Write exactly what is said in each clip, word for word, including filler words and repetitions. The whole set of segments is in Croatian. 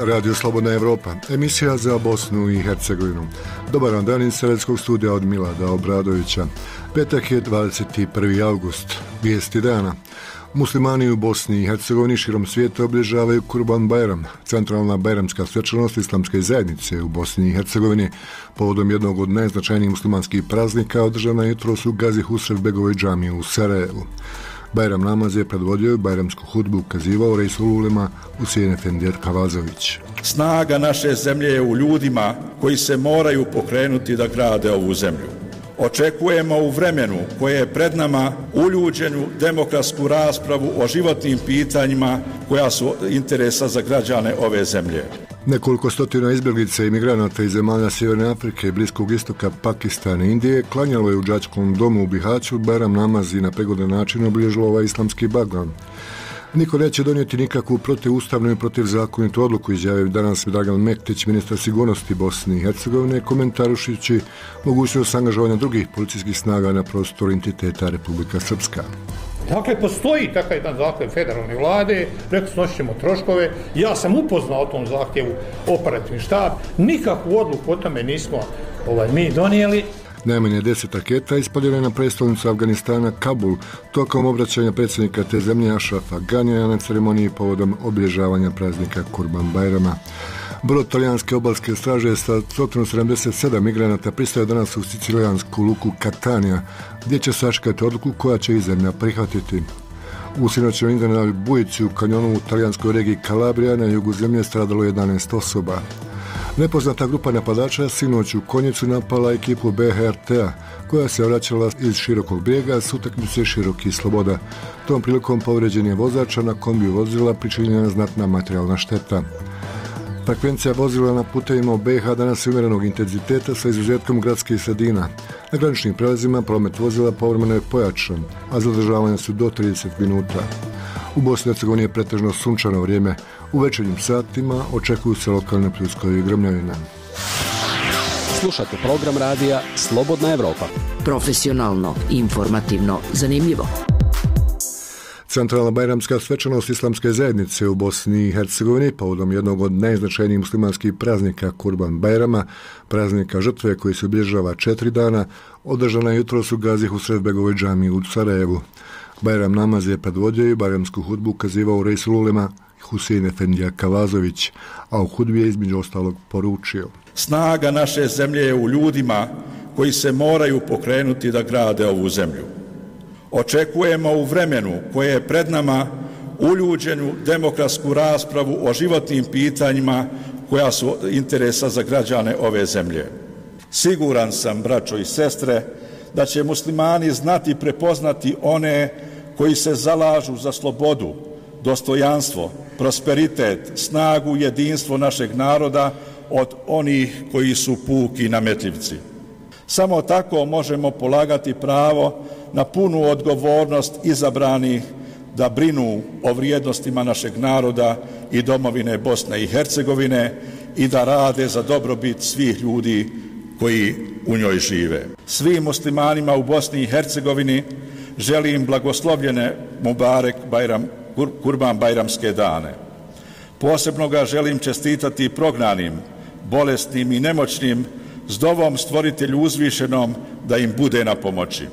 Radio Slobodna Evropa, emisija za Bosnu i Hercegovinu. Dobar vam dan iz Sredskog studija od Milada Obradovića. Petak je dvadeset prvi august, vijesti dana. Muslimani u Bosni i Hercegovini širom svijeta obilježavaju Kurban Bajram, centralna bajramska svečanost islamske zajednice u Bosni i Hercegovini. Povodom jednog od najznačajnijih muslimanskih praznika održana je jutros u Gazi Husrevbegovoj džamiji u Sarajevu. Bajram namaz je predvodio i bajramsku hudbu ukazivao Reisul Ulema Husein Efendija Kavazović. Snaga naše zemlje je u ljudima koji se moraju pokrenuti da grade ovu zemlju. Očekujemo u vremenu koje je pred nama uljuđenu demokratsku raspravu o životnim pitanjima koja su interesa za građane ove zemlje. Nekoliko stotina izbjeglica i migranata iz zemalja Sjeverne Afrike, Bliskog istoka, Pakistana i Indije klanjalo je u đačkom domu u Bihaću Bajram namaz i na prigodan način obilježilo ovaj islamski blagdan. Niko neće donijeti nikakvu protivustavnu i protivzakonitu odluku, izjavio danas Dragan Mektić, ministar sigurnosti Bosne i Hercegovine, komentarušići mogućnost angažovanja drugih policijskih snaga na prostoru entiteta Republika Srpska. Dakle, postoji takav jedan zahtjev federalne vlade, rekli snosit ćemo troškove, ja sam upoznao o tom zahtjevu operativni štab, nikakvu odluku o tome nismo ovaj, mi donijeli. Najmanje deset raketa ispaljeno je na prestolnicu Afganistana Kabul tokom obraćanja predsjednika te zemlje Ašrafa Ganija na ceremoniji povodom obilježavanja praznika Kurban Bajrama. Brod talijanske obalske straže sa sto sedamdeset sedam migranata pristaje danas u sicilijansku luku Catania, gdje će sačekati odluku koja će i zemlja prihvatiti. U sinoćnoj iznenadnoj bujici u kanjonu u talijanskoj regiji Kalabrija na jugu zemlje stradalo jedanaest osoba. Nepoznata grupa napadača sinoć u Konjicu napala ekipu B H R T-a koja se vraćala iz Širokog brijega s utakmice Široki Sloboda. Tom prilikom povređen je vozača na kombiju vozila, pričinjena znatna materijalna šteta. Frekvencija vozila na putevima u B iH danas je umjerenog intenziteta sa izuzetkom gradskih sredina. Na graničnim prelazima promet vozila povremeno je pojačan, a zadržavanja su do trideset minuta. U Bosni i Hercegovini je pretežno sunčano vrijeme. U večernjim satima očekuju se lokalne pljuskovi i grmljavine. Slušate program radija Slobodna Evropa. Profesionalno, informativno, zanimljivo. Centralna bajramska svečanost islamske zajednice u Bosni i Hercegovini povodom jednog od najznačajnijih muslimanskih praznika Kurban Bajrama, praznika žrtve koji se obilježava četiri dana, održana je jutros u Gazi Husrevbegovoj džamiji u Sarajevu. Bajram namaz je predvodio i bajramsku hudbu ukazivao Reisul Ulema Husein Efendija Kavazović, a u hudbi je između ostalog poručio: Snaga naše zemlje je u ljudima koji se moraju pokrenuti da grade ovu zemlju. Očekujemo u vremenu koje je pred nama uljuđenu demokratsku raspravu o životnim pitanjima koja su interesa za građane ove zemlje. Siguran sam, braćo i sestre, da će muslimani znati prepoznati one koji se zalažu za slobodu, dostojanstvo, prosperitet, snagu, jedinstvo našeg naroda od onih koji su puki nametljivci. Samo tako možemo polagati pravo na punu odgovornost izabranih da brinu o vrijednostima našeg naroda i domovine Bosne i Hercegovine i da rade za dobrobit svih ljudi koji u njoj žive. Svim muslimanima u Bosni i Hercegovini želim blagoslovljene Mubarek Bajram, Kurban Bajramske dane. Posebno ga želim čestitati prognanim, bolesnim i nemoćnim s dovom stvoritelju uzvišenom da im bude na pomoći.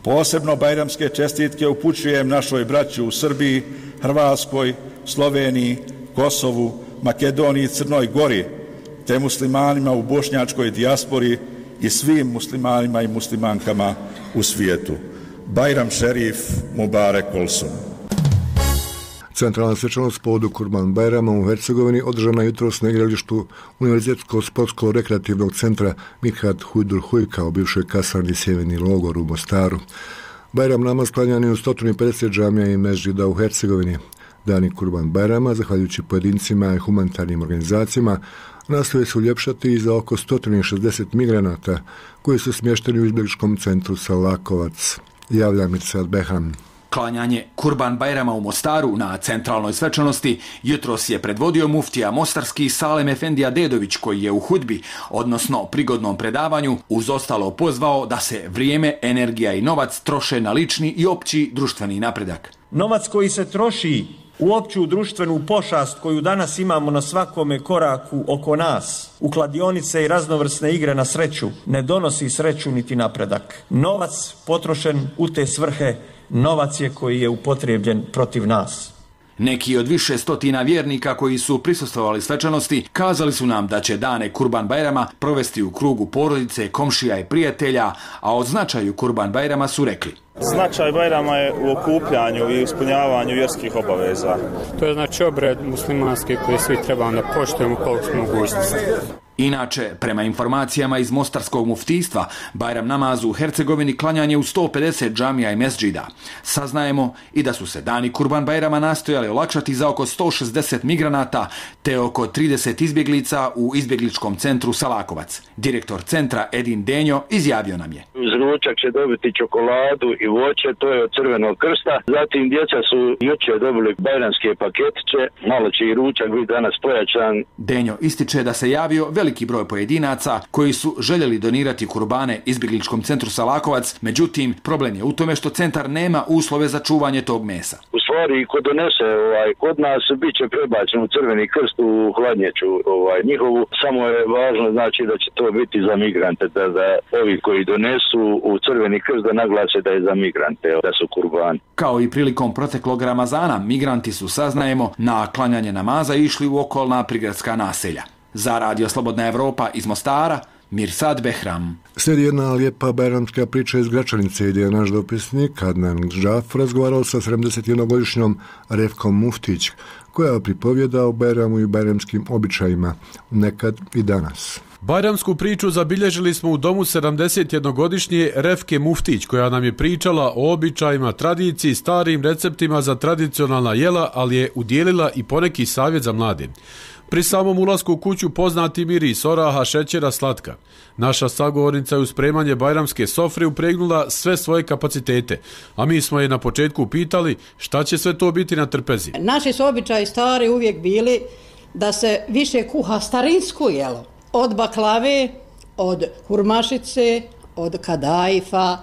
Posebno bajramske čestitke upućujem našoj braći u Srbiji, Hrvatskoj, Sloveniji, Kosovu, Makedoniji i Crnoj Gori, te muslimanima u bošnjačkoj dijaspori i svim muslimanima i muslimankama u svijetu. Bajram šerif, Mubarek olsun. Centralna svečanost povodu Kurban Bajrama u Hercegovini održana jutros na igralištu Univerzitetskog sportskog rekreativnog centra Mithat Hujdur Hujka u bivšoj kasarni Sjeverni logor u Mostaru. Bajram namaz klanjan je u sto pedeset džamija i mezđida u Hercegovini. Dani Kurban Bajrama, zahvaljujući pojedincima i humanitarnim organizacijama, nastoje se uljepšati i za oko sto šezdeset migranata koji su smješteni u izbjegličkom centru Salakovac. Javlja Mirsad Behram. Klanjanje Kurban Bajrama u Mostaru na centralnoj svečanosti jutros je predvodio muftija mostarski Salem Efendija Dedović, koji je u hudbi, odnosno prigodnom predavanju, uz ostalo pozvao da se vrijeme, energija i novac troše na lični i opći društveni napredak. Novac koji se troši U opću društvenu pošast koju danas imamo na svakome koraku oko nas, u kladionice i raznovrsne igre na sreću, ne donosi sreću niti napredak. Novac potrošen u te svrhe, novac je koji je upotrebljen protiv nas. Neki od više stotina vjernika koji su prisustvovali svečanosti kazali su nam da će dane Kurban Bajrama provesti u krugu porodice, komšija i prijatelja, a o značaju Kurban Bajrama su rekli: Značaj Bajrama je u okupljanju i ispunjavanju vjerskih obaveza. To je znači obred muslimanski koji svi trebamo da poštujemo koliko smo mogućnosti. Inače, prema informacijama iz Mostarskog muftijstva, Bajram namaz u Hercegovini klanjanje u sto pedeset džamija i mesdžida. Saznajemo i da su se dani Kurban Bajrama nastojali olakšati za oko sto šezdeset migranata te oko trideset izbjeglica u izbjegličkom centru Salakovac. Direktor centra Edin Denjo izjavio nam je: Uz ručak će dobiti čokoladu i voće, to je od Crvenog krsta. Zatim djeca su jučer dobili bajramske paketiće, malo će i ručak biti danas pojačan. Denjo ističe da se javio veliki broj pojedinaca koji su željeli donirati kurbane izbjegličkom centru Salakovac, međutim problem je u tome što centar nema uslove za čuvanje tog mesa. U stvari, ko donese ovaj, kod nas, bit će prebačen u Crveni krst u hladnjaču ovaj, njihovu, samo je važno znači da će to biti za migrante, da, da ovi koji donesu u Crveni krst da naglase da je za migrante, da su kurbani. Kao i prilikom proteklog Ramazana, migranti su, saznajemo, na klanjanje namaza išli u okolna prigradska naselja. Za Radio Slobodna Evropa iz Mostara, Mirsad Behram. Slijedi jedna lijepa bajramska priča iz Gračanice, gdje je naš dopisnik Adnan Džaf razgovarao sa sedamdesetjednogodišnjom Refkom Muftić, koja pripovjeda o Bajramu i bajramskim običajima, nekad i danas. Bajramsku priču zabilježili smo u domu sedamdesetjednogodišnje Refke Muftić, koja nam je pričala o običajima, tradiciji, starim receptima za tradicionalna jela, ali je udjelila i poneki savjet za mlade. Pri samom ulasku u kuću poznati miris oraha, šećera, slatka. Naša sagovornica je u spremanje bajramske sofre upregnula sve svoje kapacitete, a mi smo je na početku pitali šta će sve to biti na trpezi. Naši su običaji stari uvijek bili da se više kuha starinsko jelo. Od baklave, od hurmašice, od kadajfa,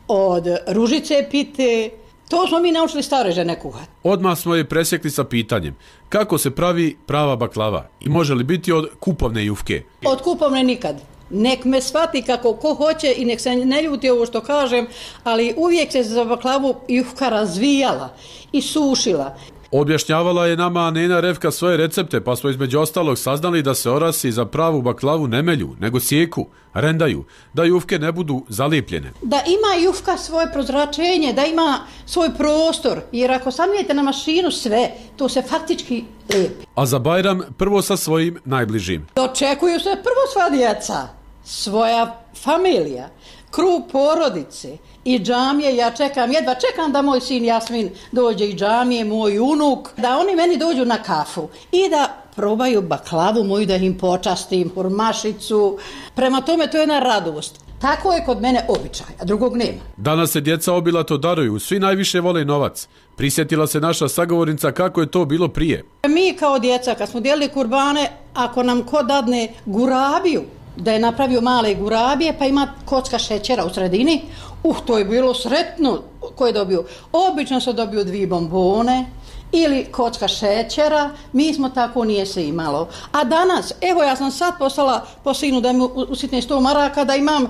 od ružice pite. To smo mi naučili stare žene kuhati. Odmah smo je presjekli sa pitanjem kako se pravi prava baklava i može li biti od kupovne jufke. Od kupovne nikad. Nek me shvati kako ko hoće i nek se ne ljuti ovo što kažem, ali uvijek se za baklavu jufka razvijala i sušila. Objašnjavala je nama Nena Refka svoje recepte, pa smo između ostalog saznali da se orasi za pravu baklavu ne melju, nego sjeku, rendaju, da jufke ne budu zalijepljene. Da ima jufka svoje prozračenje, da ima svoj prostor, jer ako stavljate na mašinu sve, to se faktički lijepi. A za Bajram prvo sa svojim najbližim. Očekuju se prvo sva djeca, svoja familija, krug porodice i džamije. Ja čekam, jedva čekam da moj sin Jasmin dođe i džamije, moj unuk, da oni meni dođu na kafu i da probaju baklavu moju, da im počastim, hurmašicu. Prema tome to je jedna radost. Tako je kod mene običaj, a drugog nema. Danas se djeca obilato daruju, svi najviše vole novac. Prisjetila se naša sagovornica kako je to bilo prije. Mi kao djeca, kad smo dijelili kurbane, ako nam ko dadne gurabiju, da je napravio male gurabije, pa ima kocka šećera u sredini, uh, to je bilo sretno. Ko je dobio? Obično se dobio dvije bombone ili kocka šećera, mi smo tako nije se imalo. A danas, evo ja sam sad poslala po sinu da mi usitne sto maraka, da imam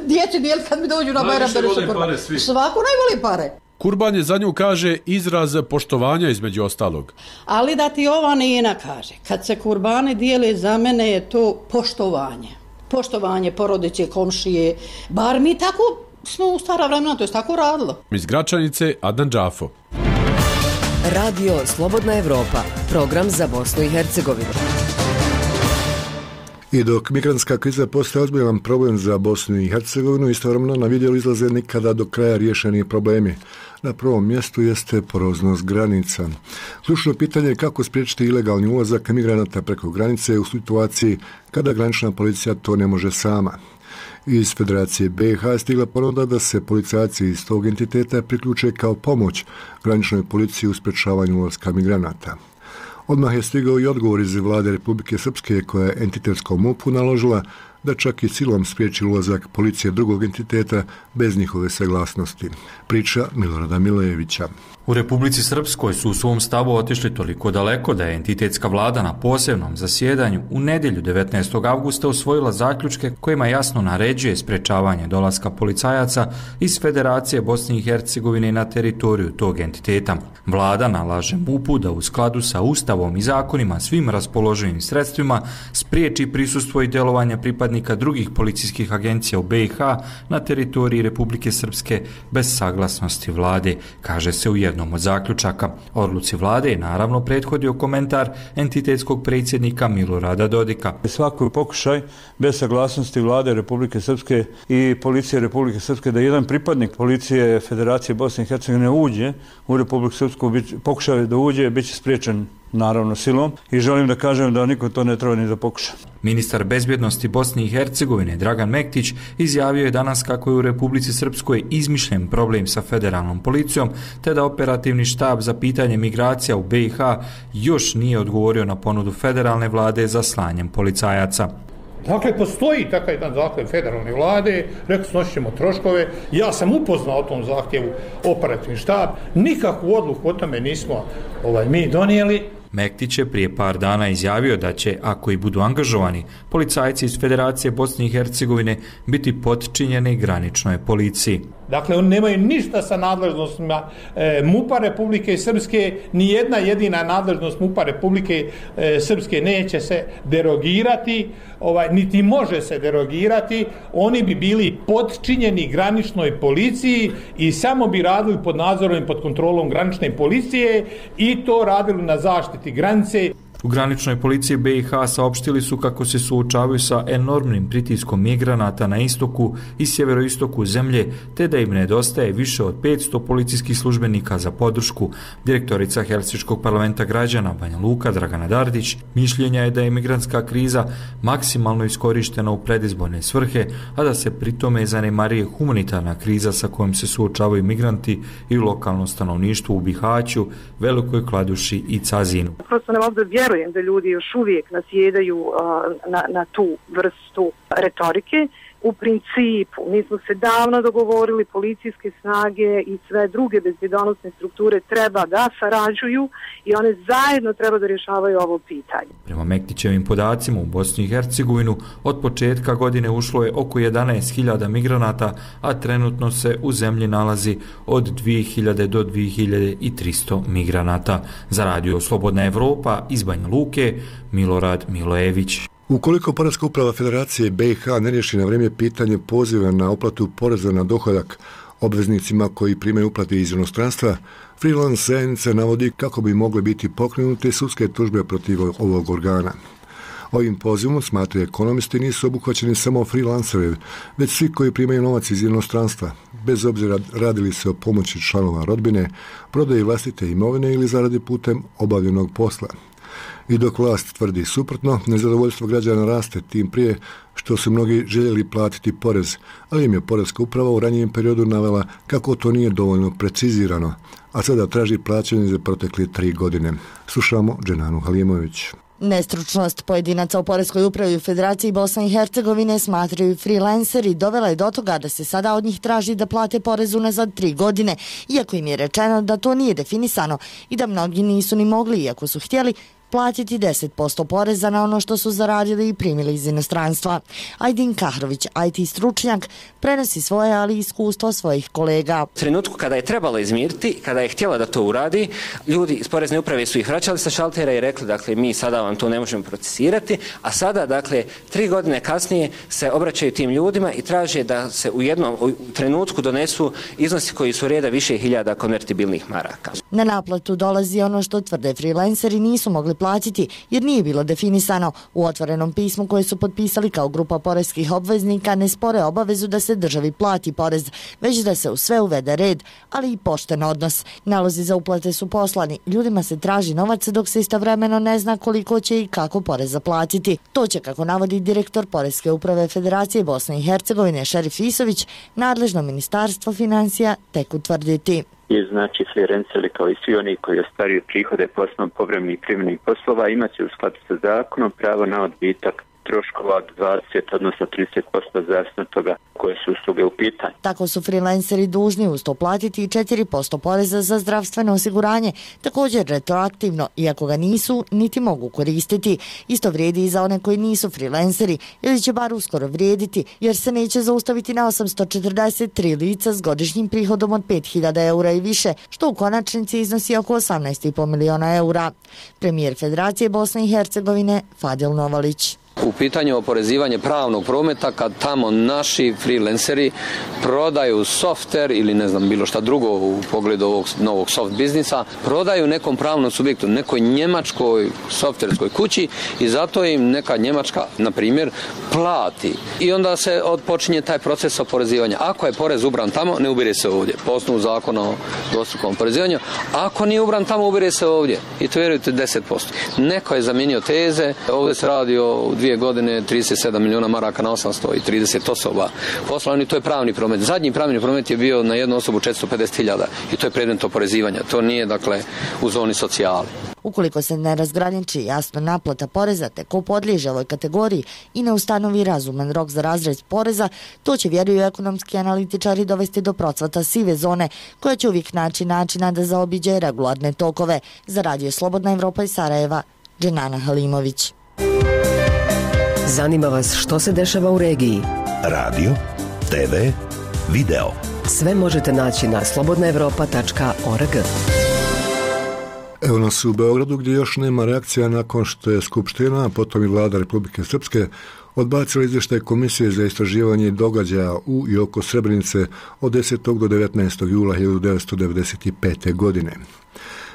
djeci dijel kad mi dođu na Bajram. Svako najvoli pare. Kurban je za nju, kaže, izraz poštovanja između ostalog. Ali da ti ova Nina kaže, kad se kurbane dijele, za mene je to poštovanje. Poštovanje porodice, komšije, bar mi tako smo u stara vremena, to je tako radilo. Iz Gračanice, Adnan Džafo. Radio Slobodna Evropa, program za Bosnu i Hercegovinu. I dok migrantska kriza postaje ozbiljan problem za Bosnu i Hercegovinu, istovremeno na vidjelu izlaze nikada do kraja riješeni problemi. Na prvom mjestu jeste poroznost granica. Ključno pitanje je kako spriječiti ilegalni ulazak migranata preko granice u situaciji kada granična policija to ne može sama. Iz Federacije B i H stigla ponuda da se policajci iz tog entiteta priključe kao pomoć graničnoj policiji u sprečavanju ulaska migranata. Odmah je stigao i odgovor iz vlade Republike Srpske koja je entitetskom M U P-u naložila da čak i silom spriječi ulazak policije drugog entiteta bez njihove saglasnosti. Priča Milorada Milojevića. U Republici Srpskoj su u svom stavu otišli toliko daleko da je entitetska vlada na posebnom zasjedanju u nedjelju devetnaestog avgusta usvojila zaključke kojima jasno naređuje sprečavanje dolaska policajaca iz Federacije Bosne i Hercegovine na teritoriju tog entiteta. Vlada nalaže M U P-u da u skladu sa Ustavom i zakonima svim raspoloživim sredstvima spriječi prisustvo i djelovanje pripadnika drugih policijskih agencija u B i H na teritoriji Republike Srpske bez saglasnosti vlade, kaže se u jednom od zaključaka. Odluci vlade je naravno prethodio komentar entitetskog predsjednika Milorada Dodika. Svaki pokušaj bez saglasnosti vlade Republike Srpske i policije Republike Srpske da jedan pripadnik policije Federacije Bosne i Hercegovine uđe u Republiku Srpsku, pokušaj da uđe, bit će spriječen naravno silom i želim da kažem da niko to ne treba ni da pokuša. Ministar bezbjednosti Bosne i Hercegovine Dragan Mektić izjavio je danas kako je u Republici Srpskoj izmišljen problem sa federalnom policijom, te da operativni štab za pitanje migracija u B i H još nije odgovorio na ponudu federalne vlade za slanjem policajaca. Dakle, postoji takav jedan zahtjev federalne vlade, rekli snosit ćemo troškove, ja sam upoznao o tom zahtjevu operativni štab, nikakvu odluku o tome nismo ovaj, mi donijeli. Mektić je prije par dana izjavio da će, ako i budu angažovani, policajci iz Federacije Bosne i Hercegovine biti potčinjeni graničnoj policiji. Dakle, oni nemaju ništa sa nadležnostima e, M U P-a Republike Srpske, ni jedna jedina nadležnost M U P-a Republike e, Srpske neće se derogirati, ovaj, niti može se derogirati, oni bi bili potčinjeni graničnoj policiji i samo bi radili pod nadzorom i pod kontrolom granične policije i to radili na zaštiti granice. U graničnoj policiji B i H saopštili su kako se suočavaju sa enormnim pritiskom migranata na istoku i sjeveroistoku zemlje, te da im nedostaje više od petsto policijskih službenika za podršku. Direktorica Helsinškog parlamenta građana Banja Luka Dragana Dardić mišljenja je da je migrantska kriza maksimalno iskorištena u predizborne svrhe, a da se pritome zanemarije humanitarna kriza sa kojom se suočavaju migranti i lokalno stanovništvo u Bihaću, Velikoj Kladuši i Cazinu. Prosto ne mogu da vjerujem da ljudi još uvijek nasjedaju uh, na, na tu vrstu retorike. U principu, mi smo se davno dogovorili, policijske snage i sve druge bezbjedonosne strukture treba da sarađuju i one zajedno treba da rješavaju ovo pitanje. Prema Mektićevim podacima u Bosni i Hercegovinu od početka godine ušlo je oko jedanaest hiljada migranata, a trenutno se u zemlji nalazi od dvije hiljade do dvije hiljade tristo migranata. Za Radio Slobodna Evropa iz Banja Luke, Milorad Milojević. Ukoliko Poreska uprava Federacije B i H ne riješi na vrijeme pitanje poziva na uplatu poreza na dohodak obveznicima koji primaju uplate iz inostranstva, freelance zajednica navodi kako bi mogle biti pokrenute sudske tužbe protiv ovog organa. Ovim pozivom, smatraju ekonomisti, nisu obuhvaćeni samo freelanceri, već svi koji primaju novac iz inostranstva, bez obzira radili se o pomoći članova rodbine, prodaji vlastite imovine ili zaradi putem obavljenog posla. I dok vlast tvrdi suprotno, nezadovoljstvo građana raste tim prije što su mnogi željeli platiti porez, ali im je Poreska uprava u ranijem periodu navela kako to nije dovoljno precizirano, a sada traži plaćanje za protekle tri godine. Slušamo Dženanu Halimović. Nestručnost pojedinaca u Poreskoj upravi u Federaciji Bosne i Hercegovine smatraju freelanceri dovela je do toga da se sada od njih traži da plate porez unazad tri godine, iako im je rečeno da to nije definisano i da mnogi nisu ni mogli, iako su htjeli, platiti deset posto poreza na ono što su zaradili i primili iz inostranstva. Ajdin Kahrović, I T stručnjak, prenosi svoje, ali i iskustvo svojih kolega. U trenutku kada je trebalo izmiriti, kada je htjela da to uradi, ljudi iz Porezne uprave su ih vraćali sa šaltera i rekli, dakle, mi sada vam to ne možemo procesirati, a sada, dakle, tri godine kasnije se obraćaju tim ljudima i traže da se u jednom u trenutku donesu iznosi koji su reda više hiljada konvertibilnih maraka. Na naplatu dolazi ono što tvrde freelanceri nisu mogli platiti jer nije bilo definisano. U otvorenom pismu koje su potpisali kao grupa poreskih obveznika ne spore obavezu da se državi plati porez, već da se u sve uvede red, ali i pošten odnos. Nalozi za uplate su poslani. Ljudima se traži novac dok se istovremeno ne zna koliko će i kako poreza platiti. To će, kako navodi direktor Poreske uprave Federacije Bosne i Hercegovine Šerif Isović, nadležno ministarstvo financija tek utvrditi. Je znači freelanceri kao i svi oni koji ostvaruju prihode poslom povremenih privremenih poslova imat će u skladu sa zakonom pravo na odbitak troškova od dvadeset odnosno trideset posto zavisno od toga koje su usluge u pitanju. Tako su freelanceri dužni uz to platiti i četiri posto poreza za zdravstveno osiguranje, također retroaktivno, iako ga nisu niti mogu koristiti. Isto vrijedi i za one koji nisu freelanceri, ili će bar uskoro vrijediti, jer se neće zaustaviti na osamsto četrdeset tri lica s godišnjim prihodom od pet hiljada eura i više, što u konačnici iznosi oko osamnaest i pol miliona eura. Premijer Federacije Bosne i Hercegovine Fadil Novalić. U pitanju oporezivanje pravnog prometa, kad tamo naši freelanceri prodaju software ili ne znam bilo šta drugo u pogledu ovog novog soft biznisa, prodaju nekom pravnom subjektu, nekoj njemačkoj softverskoj kući i zato im neka njemačka, na primjer, plati. I onda se odpočinje taj proces oporezivanja. Ako je porez ubran tamo, ne ubire se ovdje. Po osnovu zakona o dvostrukom oporezivanju. Ako nije ubran tamo, ubire se ovdje. I to vjerujete deset posto. Neko je zamijenio teze, ovdje se radi o dvije godine trideset sedam milijuna maraka na osamsto trideset osoba poslani, to je pravni promet. Zadnji pravni promet je bio na jednu osobu četiristo pedeset hiljada i to je predmet oporezivanja. To nije, dakle, u zoni socijale. Ukoliko se ne razgraniči jasno naplata poreza te ko podliježe ovoj kategoriji i ne ustanovi razuman rok za razrez poreza, to će, vjeruju ekonomski analitičari, dovesti do procvata sive zone koja će uvijek naći načina da zaobiđe regularne tokove. Za Radio Slobodna Evropa iz Sarajeva, Dženana Halimović. Zanima vas što se dešava u regiji? Radio, te ve, video. Sve možete naći na slobodna evropa tačka org. Evo nas u Beogradu gdje još nema reakcija nakon što je Skupština, a potom i Vlada Republike Srpske odbacila izvještaj Komisije za istraživanje događaja u i oko Srebrenice od desetog do devetnaestog jula hiljadu devetsto devedeset pete. godine.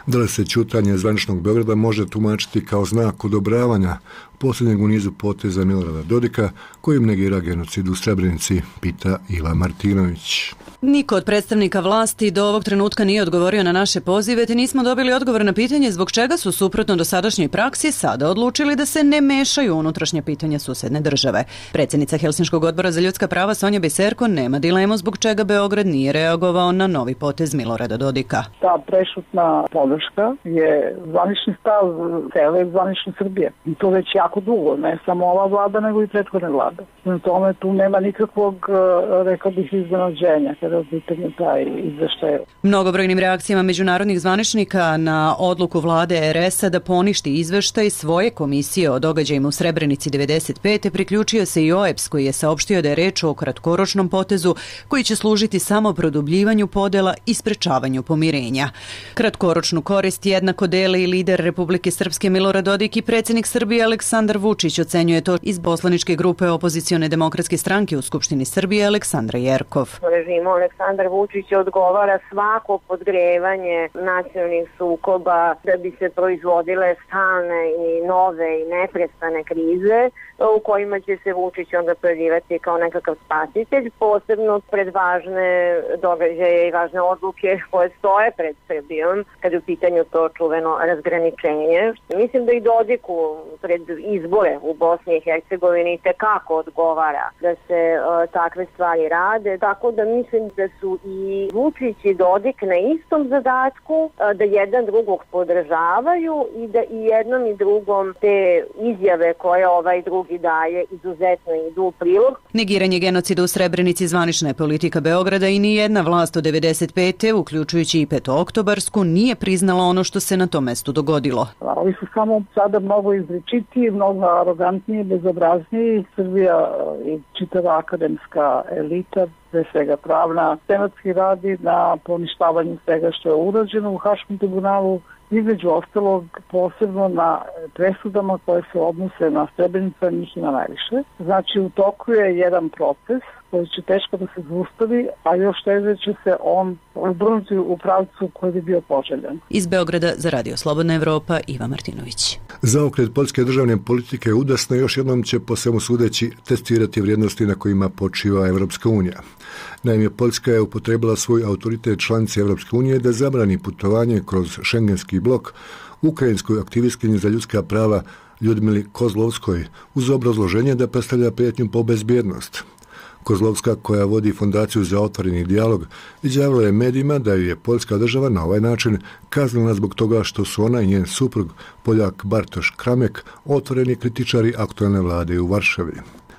Da li se ćutanje zvaničnog Beograda može tumačiti kao znak odobravanja posljednjeg u nizu poteza Milorada Dodika, kojim negira genocid u Srebrenici, pita Iva Martinović. Niko od predstavnika vlasti do ovog trenutka nije odgovorio na naše pozive, te nismo dobili odgovor na pitanje zbog čega su suprotno dosadašnjoj praksi sada odlučili da se ne mešaju u unutrašnje pitanja susedne države. Predsjednica Helsinškog odbora za ljudska prava Sonja Biserko nema dilemu zbog čega Beograd nije reagovao na novi potez Milorada Dodika. Ta prešutna podrška je zvanični stav cele zvanične Srbije. I to već jako dugo, ne samo ova vlada, nego i prethodne vlade. Na tome tu nema nikakvog, rekao bih, iznenađenja kada je pitanje taj izveštaj. Mnogobrojnim reakcijama međunarodnih zvaničnika na odluku vlade er es-a da poništi izveštaj svoje komisije o događajima u Srebrenici devedeset pete priključio se i o e pe es koji je saopštio da je reč o kratkoročnom potezu koji će služiti samo produbljivanju podela i sprečavanju pomirenja. Kratkoročnu korist jednako dele i lider Republike Srpske Milorad Dodik i predsjednik Srbije Aleksandar Vučić, ocenjuje to iz poslaničke grupe opozicione demokratske stranke u Skupštini Srbije Aleksandra Jerkov. Režimu Aleksandar Vučić odgovara svako podgrevanje nacionalnih sukoba da bi se proizvodile stalne i nove i neprestane krize u kojima će se Vučić onda pojavljivati kao nekakav spasitelj, posebno pred važne događaje i važne odluke koje stoje pred Srbijom kad je u pitanju to čuveno razgraničenje. Mislim da i Dodiku pred izbore u Bosni i Hercegovini tekako odgovara da se uh, takve stvari rade, tako da mislim da su i Vučić i Dodik na istom zadatku, uh, da jedan drugog podržavaju i da i jednom i drugom te izjave koje ovaj drugi daje izuzetno idu u prilog. Negiranje genocida u Srebrenici zvanična je politika Beograda i nijedna vlast od devedeset pete, uključujući i petooktobarsku, nije priznala ono što se na tom mestu dogodilo. Ovi su samo sada mnogo izričitiji, mnogo arogantniji, bezobrazniji. Srbija i čitava akademska elita, pre svega pravna, tematski radi na poništavanju svega što je urađeno u Haškom tribunalu, između ostalog posebno na presudama koje se odnose na Srebrenicu, njih ima najviše. Znači u toku je jedan proces koji će teško da se zaustavi, a još teže će se on obrnuti u pravcu koji bi bio poželjan. Iz Beograda za Radio Slobodna Evropa, Iva Martinović. Zaokret poljske državne politike udasno još jednom će po svemu sudeći testirati vrijednosti na kojima počiva Evropska unija. Naime, Poljska je upotrebila svoj autoritet članice Evropske unije da zabrani putovanje kroz šengenski blok ukrajinskoj aktivistkinji za ljudska prava Ljudmili Kozlovskoj uz obrazloženje da predstavlja prijetnju po bezbjednost. Kozlovska, koja vodi fondaciju za otvoreni dijalog, izjavila je medijima da ju je poljska država na ovaj način kaznila zbog toga što su ona i njen suprug, Poljak Bartoš Kramek, otvoreni kritičari aktualne vlade u Varšavi.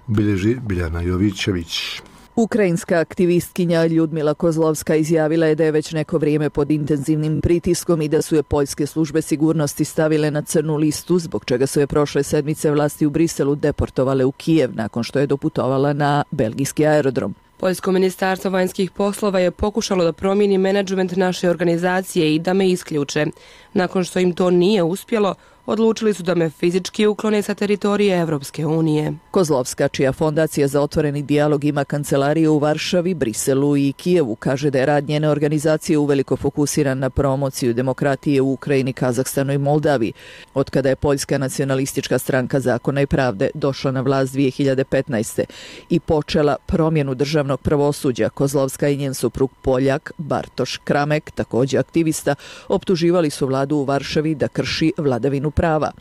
Bilježi Biljana Jovićević. Ukrajinska aktivistkinja Ljudmila Kozlovska izjavila je da je već neko vrijeme pod intenzivnim pritiskom i da su je poljske službe sigurnosti stavile na crnu listu, zbog čega su je prošle sedmice vlasti u Briselu deportovale u Kijev nakon što je doputovala na belgijski aerodrom. Poljsko ministarstvo vanjskih poslova je pokušalo da promijeni menadžment naše organizacije i da me isključe. Nakon što im to nije uspjelo, odlučili su da me fizički uklone sa teritorije Evropske unije. Kozlovska, čija fondacija za otvoreni dijalog ima kancelariju u Varšavi, Briselu i Kijevu, kaže da je rad njene organizacije uveliko fokusiran na promociju demokratije u Ukrajini, Kazahstanu i Moldaviji. Otkada je Poljska nacionalistička stranka Zakona i pravde došla na vlast dvije hiljade petnaeste. i počela promjenu državnog pravosuđa, Kozlovska i njen suprug Poljak Bartoš Kramek, također aktivista, optuživali su vladu u Varšavi da krši vladavinu prava.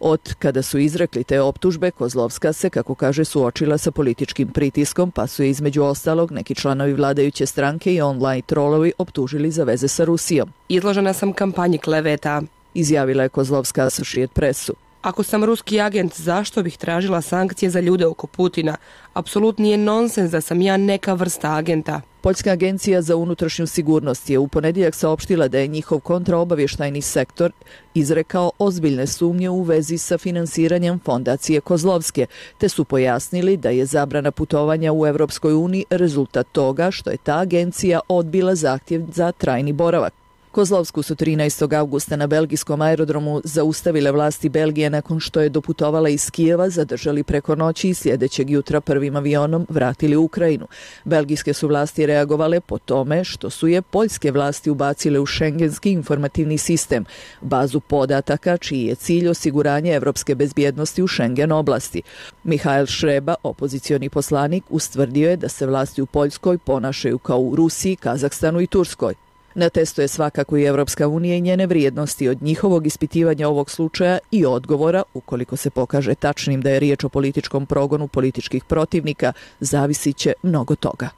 Od kada su izrekli te optužbe, Kozlovska se, kako kaže, suočila sa političkim pritiskom, pa su je između ostalog neki članovi vladajuće stranke i online trolovi optužili za veze sa Rusijom. Izložena sam kampanji kleveta, izjavila je Kozlovska Associated Pressu. Ako sam ruski agent, zašto bih tražila sankcije za ljude oko Putina? Apsolutni je nonsens da sam ja neka vrsta agenta. Poljska agencija za unutrašnju sigurnost je u ponedjeljak saopštila da je njihov kontraobavještajni sektor izrekao ozbiljne sumnje u vezi sa finansiranjem fondacije Kozlovske, te su pojasnili da je zabrana putovanja u Evropskoj uniji rezultat toga što je ta agencija odbila zahtjev za trajni boravak. Kozlovsku su trinaestog avgusta na belgijskom aerodromu zaustavile vlasti Belgije nakon što je doputovala iz Kijeva, zadržali preko noći i sljedećeg jutra prvim avionom vratili u Ukrajinu. Belgijske su vlasti reagovale po tome što su je poljske vlasti ubacile u šengenski informativni sistem, bazu podataka čiji je cilj osiguranje evropske bezbjednosti u Schengen oblasti. Mihael Šreba, opozicioni poslanik, ustvrdio je da se vlasti u Poljskoj ponašaju kao u Rusiji, Kazahstanu i Turskoj. Na testu je svakako i Evropska unija i njene vrijednosti. Od njihovog ispitivanja ovog slučaja i odgovora, ukoliko se pokaže tačnim da je riječ o političkom progonu političkih protivnika, zavisit će mnogo toga.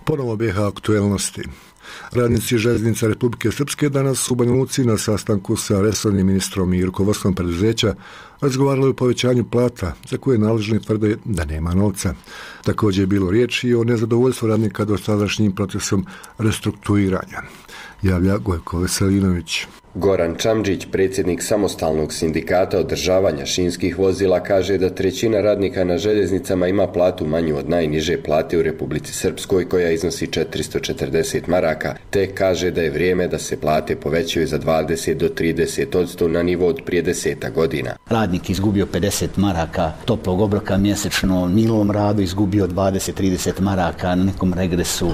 Ponovo bijeha aktuelnosti. Radnici Željeznica Republike Srpske danas u Banja Luci na sastanku sa resornim ministrom i rukovodstvom preduzeća razgovarali o povećanju plata, za koje nadležni tvrde da nema novca. Također je bilo riječi i o nezadovoljstvu radnika dosadašnjim procesom restrukturiranja. Javlja Gojko Veselinović. Goran Čamđić, predsjednik samostalnog sindikata održavanja šinskih vozila, kaže da trećina radnika na željeznicama ima platu manju od najniže plate u Republici Srpskoj, koja iznosi četiristo četrdeset maraka, te kaže da je vrijeme da se plate povećaju za dvadeset do trideset odsto na nivo od prije deseta godina. Radnik izgubio pedeset maraka toplog obroka mjesečno, milom radu izgubio dvadeset do trideset maraka na nekom regresu.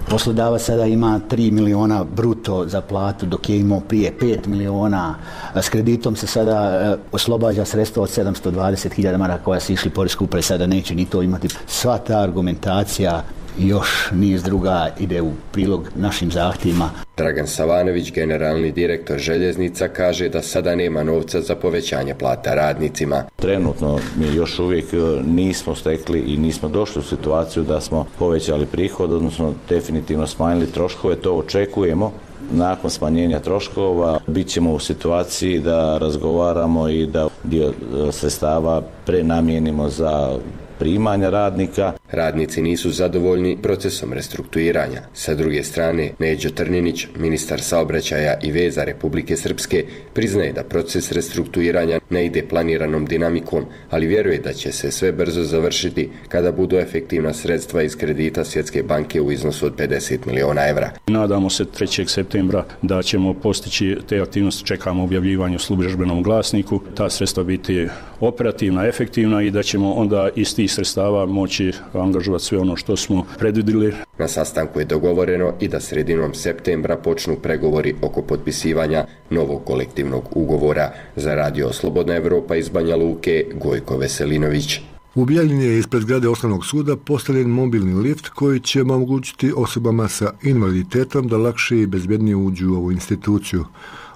Poslodavac sada ima tri miliona bruto za platu, dok je imao prije pet miliona. S kreditom se sada oslobađa sredstva od sedamsto dvadeset hiljada maraka koja su išli poreske uprave, sada neće ni to imati. Sva ta argumentacija i još niz druga ide u prilog našim zahtjevima. Dragan Savanović, generalni direktor željeznica, kaže da sada nema novca za povećanje plata radnicima. Trenutno mi još uvijek nismo stekli i nismo došli u situaciju da smo povećali prihod, odnosno definitivno smanjili troškove, to očekujemo. Nakon smanjenja troškova bit ćemo u situaciji da razgovaramo i da dio sredstava prenamijenimo za primanja radnika. Radnici nisu zadovoljni procesom restrukturiranja. Sa druge strane, Neđo Trninić, ministar saobraćaja i veza Republike Srpske, priznaje da proces restrukturiranja ne ide planiranom dinamikom, ali vjeruje da će se sve brzo završiti kada budu efektivna sredstva iz kredita Svjetske banke u iznosu od pedeset miliona evra. Nadamo se trećeg septembra da ćemo postići te aktivnosti, čekamo objavljivanje u službenom glasniku, ta sredstva biti operativna, efektivna i da ćemo onda iz tih sredstava moći angažovati sve ono što smo predvidjeli. Na sastanku je dogovoreno i da sredinom septembra počnu pregovori oko potpisivanja novog kolektivnog ugovora. Za radio Slobodna Evropa iz Banja Luke, Gojko Veselinović. U Bijeljini je ispred zgrade Osnovnog suda postavljen mobilni lift koji će omogućiti osobama sa invaliditetom da lakše i bezbjednije uđu u ovu instituciju.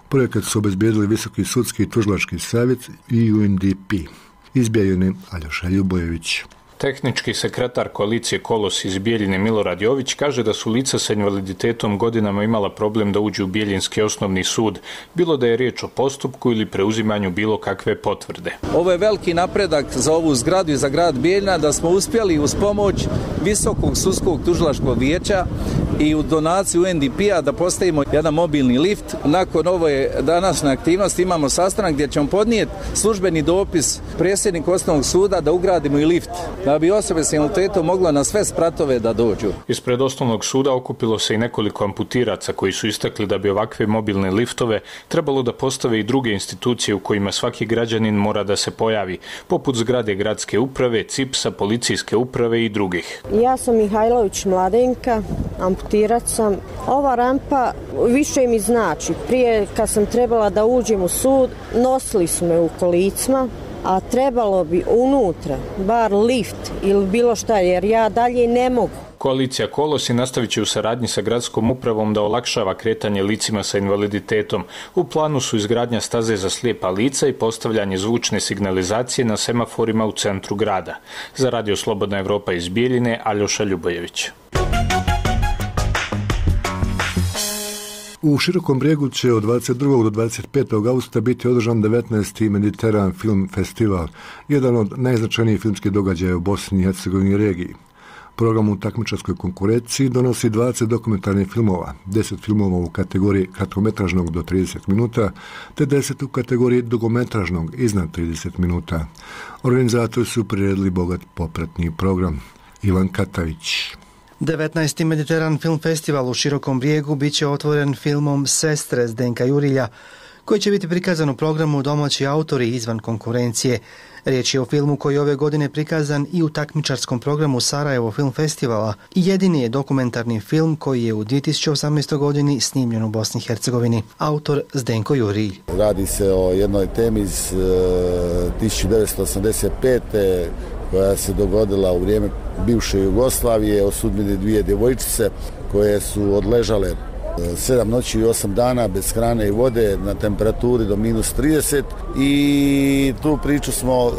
Projekat su obezbijedili Visoki sudski i tužilački savjet i U N D P. Iz Bijeljine, Aljoša Ljubojević. Tehnički sekretar koalicije Kolos iz Bijeljine Milorad Jović kaže da su lica sa invaliditetom godinama imala problem da uđu u Bijeljinski osnovni sud, bilo da je riječ o postupku ili preuzimanju bilo kakve potvrde. Ovo je veliki napredak za ovu zgradu i za grad Bijeljina da smo uspjeli uz pomoć Visokog sudskog tužilačkog vijeća i u donaciju U N D P-a da postavimo jedan mobilni lift. Nakon ove današnje aktivnosti imamo sastanak gdje ćemo podnijeti službeni dopis predsjedniku osnovnog suda da ugradimo i lift, da bi osobe s invaliditetom mogla na sve spratove da dođu. Ispred osnovnog suda okupilo se i nekoliko amputiraca koji su istakli da bi ovakve mobilne liftove trebalo da postave i druge institucije u kojima svaki građanin mora da se pojavi, poput zgrade gradske uprave, C I P S-a, policijske uprave i drugih. Ja sam Mihajlović Mladenka, amputirac sam. Ova rampa više mi znači. Prije kad sam trebala da uđem u sud, nosili su me u kolicima, a trebalo bi unutra, bar lift ili bilo šta, jer ja dalje ne mogu. Koalicija Kolosi nastavit će u saradnji sa gradskom upravom da olakšava kretanje licima sa invaliditetom. U planu su izgradnja staze za slijepa lica i postavljanje zvučne signalizacije na semaforima u centru grada. Za Radio Slobodna Evropa iz Bijeljine, Aljoša Ljubojević. U Širokom Brijegu će od dvadeset drugog do dvadeset petog augusta biti održan devetnaesti Mediteran Film Festival, jedan od najznačajnijih filmskih događaja u Bosni i Hercegovini regiji. Program u takmičarskoj konkurenciji donosi dvadeset dokumentarnih filmova, deset filmova u kategoriji kratkometražnog do trideset minuta, te deset u kategoriji dugometražnog iznad trideset minuta. Organizatori su priredili bogat popratni program. Ivan Katavić. devetnaesti Mediteran Film Festival u Širokom Brijegu bit će otvoren filmom Sestre Zdenka Jurilja, koji će biti prikazan u programu domaći autori izvan konkurencije. Riječ je o filmu koji je ove godine prikazan i u takmičarskom programu Sarajevo Film Festivala i jedini je dokumentarni film koji je u dvije tisuće osamnaestoj godini snimljen u Bosni i Hercegovini. Autor Zdenko Jurilj. Radi se o jednoj temi iz uh, tisuću devetsto osamdeset pete koja se dogodila u vrijeme bivše Jugoslavije, o sudbini dvije djevojčice koje su odležale sedam noći i osam dana bez hrane i vode na temperaturi do minus trideset i tu priču smo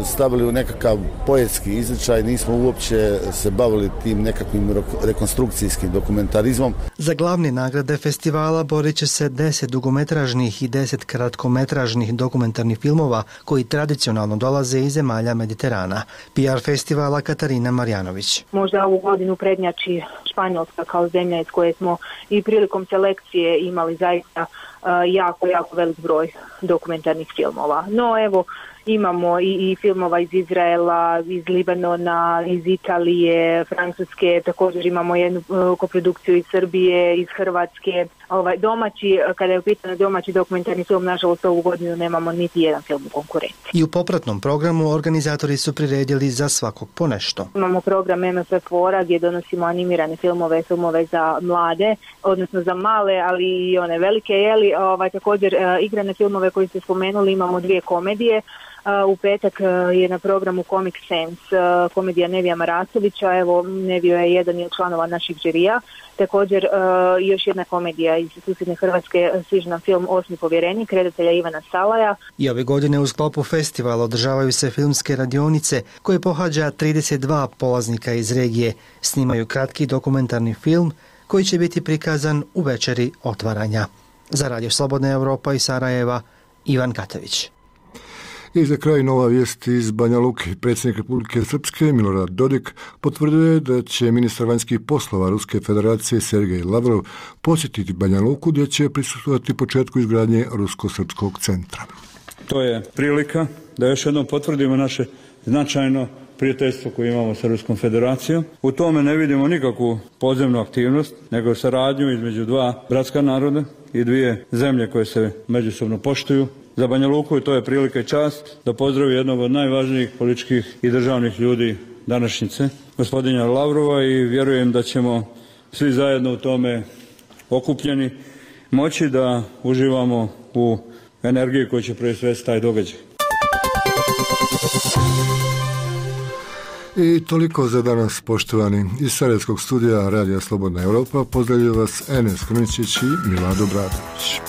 stavili u nekakav poetski izričaj, nismo uopće se bavili tim nekakvim rekonstrukcijskim dokumentarizmom. Za glavne nagrade festivala borit će se deset dugometražnih i deset kratkometražnih dokumentarnih filmova koji tradicionalno dolaze iz zemalja Mediterana. P R festivala Katarina Marjanović. Možda ovu godinu prednjači Španjolska kao zemlja iz koje smo i prilikom selekcije imali zaista uh, jako, jako velik broj dokumentarnih filmova. No evo, imamo i, i filmova iz Izraela, iz Libanona, iz Italije, Francuske, također imamo jednu uh, koprodukciju iz Srbije, iz Hrvatske. Ovaj, domaći, kada je u pitanju domaći dokumentarni film, nažalost ovu godinu nemamo niti jedan film u konkurenciji. I u popratnom programu organizatori su priredili za svakog po nešto. Imamo program M F F O-a gdje donosimo animirane filmove, filmove za mlade, odnosno za male, ali i one velike, jeli, ovaj, također uh, igrane filmove koji ste spomenuli, imamo dvije komedije. Uh, u petak uh, je na programu Comic Sense uh, komedija Nevija Marasovića, evo Nevio je jedan od članova naših žirija, također uh, još jedna komedija iz susjedne Hrvatske, sviđa nam film Osmi povjerenik redatelja Ivana Salaja. I ove godine u sklopu festivala održavaju se filmske radionice koje pohađa trideset dva polaznika iz regije, snimaju kratki dokumentarni film koji će biti prikazan u večeri otvaranja. Za Radio Slobodna Evropa iz Sarajeva, Ivan Katavić. I za kraj nova vijest iz Banja Luke. Predsjednik Republike Srpske Milorad Dodik potvrdio je da će ministar vanjskih poslova Ruske federacije Sergej Lavrov posjetiti Banja Luku gdje će prisustvovati početku izgradnje Rusko-srpskog centra. To je prilika da još jednom potvrdimo naše značajno prijateljstvo koje imamo sa Ruskom federacijom. U tome ne vidimo nikakvu podzemnu aktivnost, nego saradnju između dva bratska naroda i dvije zemlje koje se međusobno poštuju. Za Banja Luku to je prilika i čast da pozdravi jednog od najvažnijih političkih i državnih ljudi današnjice, gospodina Lavrova, i vjerujem da ćemo svi zajedno u tome okupljeni moći da uživamo u energiji koju će proizvesti taj događaj. I toliko za danas, poštovani. Iz Sarajevskog studija Radija Slobodna Evropa pozdravljaju vas Enes Kruničić i Milado Bradović.